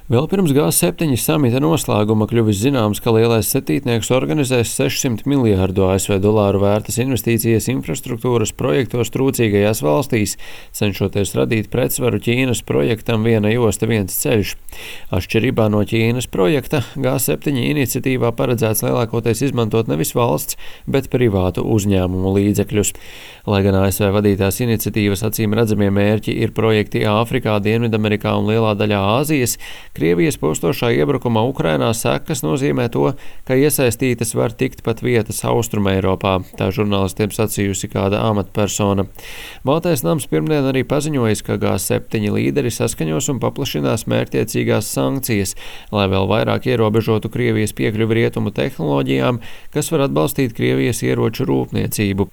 Vēl pirms G7 samita noslēguma kļuvis zināms, ka Lielais septītnieks organizēs $600 miljārdu ASV vērtas investīcijas infrastruktūras projektos trūcīgajās valstīs, cenšoties radīt pretsvaru Ķīnas projektam Viena josta, viens ceļš. Atšķirībā no Ķīnas projekta, G7 iniciatīvā paredzēts lielākoties izmantot nevis valsts, bet privātu uzņēmumu līdzekļus. Lai gan ASV vadītās iniciatīvas acīm redzamie mērķi ir projekti Āfrikā, Dienvidamerikā un lielā daļā Āzijas, Krievijas postošā iebrukuma Ukrainā sekas nozīmē to, ka iesaistītas var tikt pat vietas Austrumeiropā, tā žurnālistiem sacījusi kāda amatpersona. Baltais nams pirmdien arī paziņojis, ka G7 līderi saskaņos un paplašinās mērķtiecīgās sankcijas, lai vēl vairāk ierobežotu Krievijas piekļuvi rietumu tehnoloģijām, kas var atbalstīt Krievijas ieroču rūpniecību.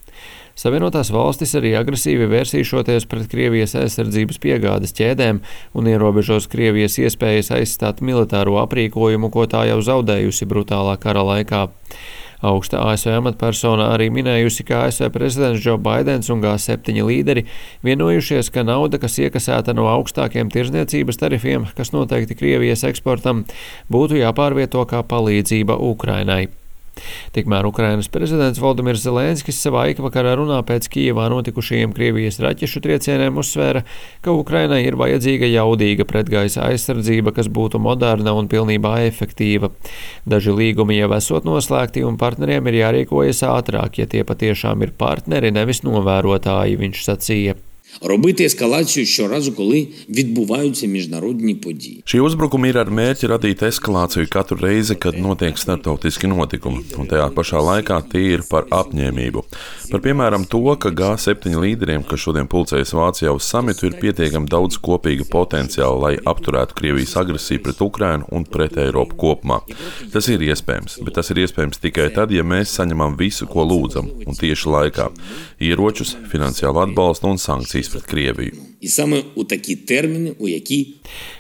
Savienotās valstis arī agresīvi vērsīšoties pret Krievijas aizsardzības piegādes ķēdēm un ierobežos Krievijas iespējas aizstāt militāro aprīkojumu, ko tā jau zaudējusi brutālā kara laikā. Augsta ASV amatpersona arī minējusi, ka ASV prezidents Džo Baidens un G7 līderi vienojušies, ka nauda, kas iekasēta no augstākiem tirdzniecības tarifiem, kas noteikti Krievijas eksportam, būtu jāpārvieto kā palīdzība Ukrainai. Tikmēr Ukrainas prezidents Volodimirs Zelenskis savā ikvakarā runā pēc Kijevā notikušajiem Krievijas raķešu triecieniem uzsvēra, ka Ukrainai ir vajadzīga jaudīga pretgaisa aizsardzība, kas būtu moderna un pilnībā efektīva. Daži līgumi jau esot noslēgti un partneriem ir jārīkojas ātrāk, ja tie patiešām ir partneri, nevis novērotāji, viņš sacīja. Робити ескалацію щоразу, коли відбуваються міжнародні події. Šie uzbrukumi ir ar mērķi radīt eskalāciju katru reizi, kad notiek starptautiski notikumi, un tajā pašā laikā tie ir par apņēmību. Par piemēram to, ka G7 līderiem, kas šodien pulcējas Vācijā uz samitu, ir pietiekami daudz kopīga potenciāla, lai apturētu Krievijas agresiju pret Ukrainu un pret Eiropu kopumā. Tas ir iespējams, bet tas ir iespējams tikai tad, ja mēs saņemam visu, ko lūdzam, un tieši laikā - ieročus, finansiālu atbalstu un sankcijas pret Krieviju.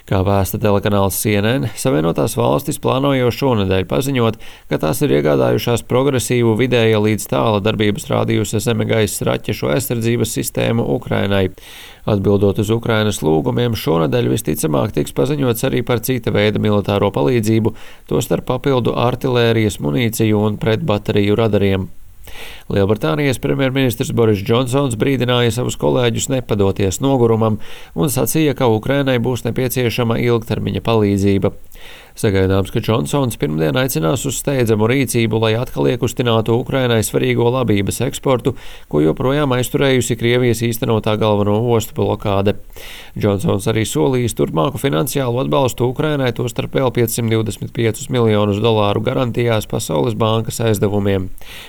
Kā vēsta telekanāls CNN, Savienotās valstis plāno jau šonedēļ paziņot, ka tās ir iegādājušās progresīvu vidēja līdz tāla darbības rādījusa zemegaisa raķešu aizsardzības sistēmu Ukrainai. Atbildot uz Ukrainas lūgumiem, šonedēļ visticamāk tiks paziņots arī par cita veida militāro palīdzību, tostarp papildu artilērijas munīciju un pretbateriju radariem. Lielbritānijas premjerministrs Boris Džonsons brīdināja savus kolēģus nepadoties nogurumam un sacīja, ka Ukrainai būs nepieciešama ilgtermiņa palīdzība. Sagaidāms, ka Džonsons pirmdien aicinās uz steidzamu rīcību, lai atkal iekustinātu Ukrainai svarīgo labības eksportu, ko joprojām aizturējusi Krievijas īstenotā galveno ostu blokāde. Džonsons arī solījis turpmāku finansiālu atbalstu Ukrainai, tostarp vēl $525 miljonus garantijās Pasaules bankas aizdevumiem.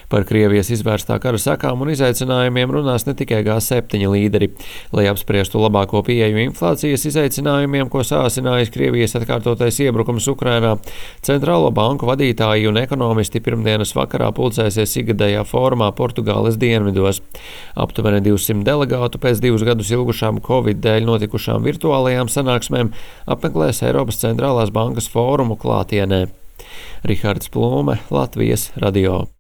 Par Krievijas izvērstā kara sekām un izaicinājumiem runās ne tikai G7 līderi. Lai apspriestu labāko pieeju inflācijas izaicinājumiem, ko sāsinājis Krievijas atkārtotais iebrukums Ukrainā, centrālo banku vadītāji un ekonomisti pirmdienas vakarā pulcēsies ikgadējā fórumā Portugāles dienvidos. Aptuveni 200 delegātu pēc 2 gadus ilgušām Covid dēļ notikušām virtuālajām sanāksmēm apmeklēs Eiropas centrālās bankas fórumu klātienē. Rihards Plūme, Latvijas radio.